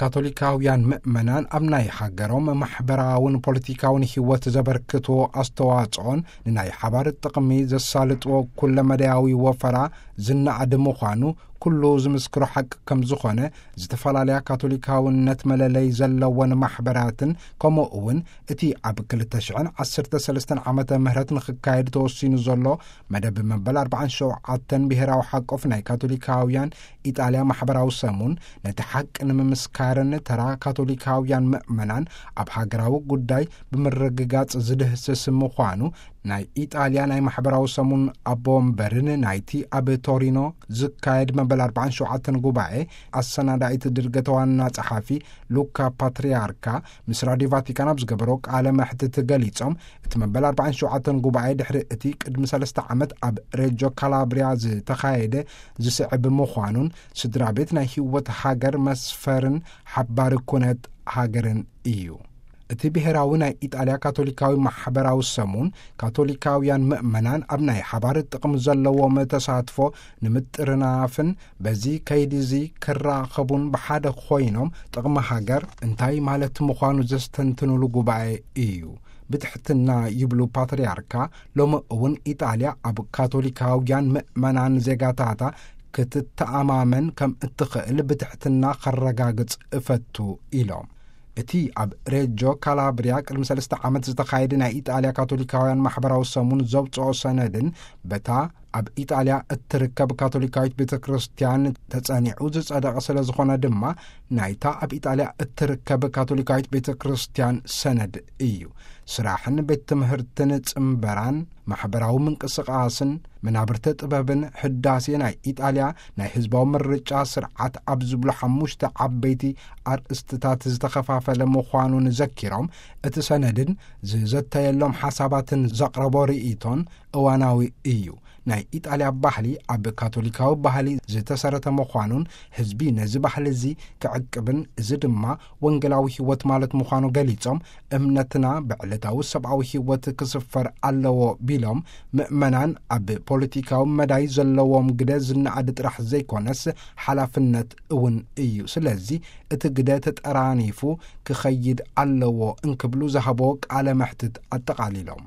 ካቶሊካውያን ምእመናን ኣብ ናይ ሃገሮም ማሕበራውን ፖለቲካውን ህይወት ዘበርክትዎ ኣስተዋጽኦን ንናይ ሓባር ጥቕሚ ዘሳልጥዎ ኩለመዳያዊ ወፈራ ዝነኣድ ምዃኑ ኩሉ ዝምስክሮ ሓቂ ከም ዝኾነ፣ ዝተፈላለያ ካቶሊካውነት መለለይ ዘለወን ማሕበራትን ከምኡ እውን እቲ ኣብ ክልተ ሽሕን ዓሰርተ ሰለስተን ዓመተ ምህረት ንኽካየድ ተወሲኑ ዘሎ መደብ መበል ኣርባዓን ሸውዓተን ብሄራዊ ሓቆፍ ናይ ካቶሊካውያን ኢጣልያ ማሕበራዊ ሰሙን ነቲ ሓቂ ንምምስካርን ተራ ካቶሊካውያን ምእመናን ኣብ ሃገራዊ ጉዳይ ብምርግጋጽ ዝድህስስ ምዃኑ ናይ ኢጣልያ ናይ ማሕበራዊ ሰሙን ኣቦ ወንበርን ናይቲ ኣብ ቶሪኖ ዝካየድ መበል ኣርባዓን ሸውዓተን ጉባኤ ኣሰናዳኢት ድርገት ዋና ጸሓፊ ሉካ ፓትርያርካ ምስ ራድዮ ቫቲካን ኣብ ዝገበሮ ቃለ መሕትት ገሊጾም፣ እቲ መበል ኣርባዓን ሸውዓተን ጉባኤ ድሕሪ እቲ ቅድሚ ሰለስተ ዓመት ኣብ ሬጆ ካላብሪያ ዝተኻየደ ዝስዕብ ምዃኑን ስድራ ቤት ናይ ህይወት ሃገር መስፈርን ሓባሪ ኩነት ሃገርን እዩ። እቲ ብሄራዊ ናይ ኢጣልያ ካቶሊካዊ ማሕበራዊ ሰሙን ካቶሊካውያን ምእመናን ኣብ ናይ ሓባር ጥቕሚ ዘለዎም ተሳትፎ ንምጥርናፍን በዚ ከይዲ እዚ ክራኸቡን ብሓደ ኮይኖም ጥቕሚ ሃገር እንታይ ማለት ምዃኑ ዘስተንትኑሉ ጉባኤ እዩ። ብትሕትና ይብሉ ፓትርያርካ፣ ሎሚ እውን ኢጣልያ ኣብ ካቶሊካውያን ምእመናን ዜጋታታ ክትተኣማመን ከም እትኽእል ብትሕትና ከረጋግጽ እፈቱ ኢሎም። እቲ ኣብ ሬጆ ካላብሪያ ቅድሚ ሰለስተ ዓመት ዝተኻየደ ናይ ኢጣልያ ካቶሊካውያን ማሕበራዊ ሰሙን ዘውፅኦ ሰነድን በታ ኣብ ኢጣልያ እትርከብ ካቶሊካዊት ቤተ ክርስቲያን ተጸኒዑ ዝጸደቐ ስለ ዝኾነ ድማ ናይታ ኣብ ኢጣልያ እትርከብ ካቶሊካዊት ቤተ ክርስቲያን ሰነድ እዩ። ስራሕን ቤት ትምህርትን ጽምበራን ማሕበራዊ ምንቅስቓስን መናብርተ ጥበብን ሕዳሴ ናይ ኢጣልያ ናይ ህዝባዊ ምርጫ ስርዓት ኣብ ዝብሉ ሓሙሽተ ዓበይቲ ኣርእስትታት ዝተኸፋፈለ ምዃኑን ዘኪሮም፣ እቲ ሰነድን ዝዘተየሎም ሓሳባትን ዘቕረቦ ርእይቶን እዋናዊ እዩ። ናይ ኢጣልያ ባህሊ ኣብ ካቶሊካዊ ባህሊ ዝተሰረተ ምዃኑን ህዝቢ ነዚ ባህሊ እዚ ክዕቅብን እዚ ድማ ወንጌላዊ ህይወት ማለት ምዃኑ ገሊጾም፣ እምነትና ብዕለታዊ ሰብኣዊ ህይወት ክስፈር ኣለዎ ቢሎም፣ ምእመናን ኣብ ፖለቲካዊ መዳይ ዘለዎም ግደ ዝነኣድ ጥራሕ ዘይኮነስ ሓላፍነት እውን እዩ። ስለዚ እቲ ግደ ተጠራኒፉ ክኸይድ ኣለዎ እንክብሉ ዝሃቦ ቃለ መሕትት ኣጠቓሊሎም።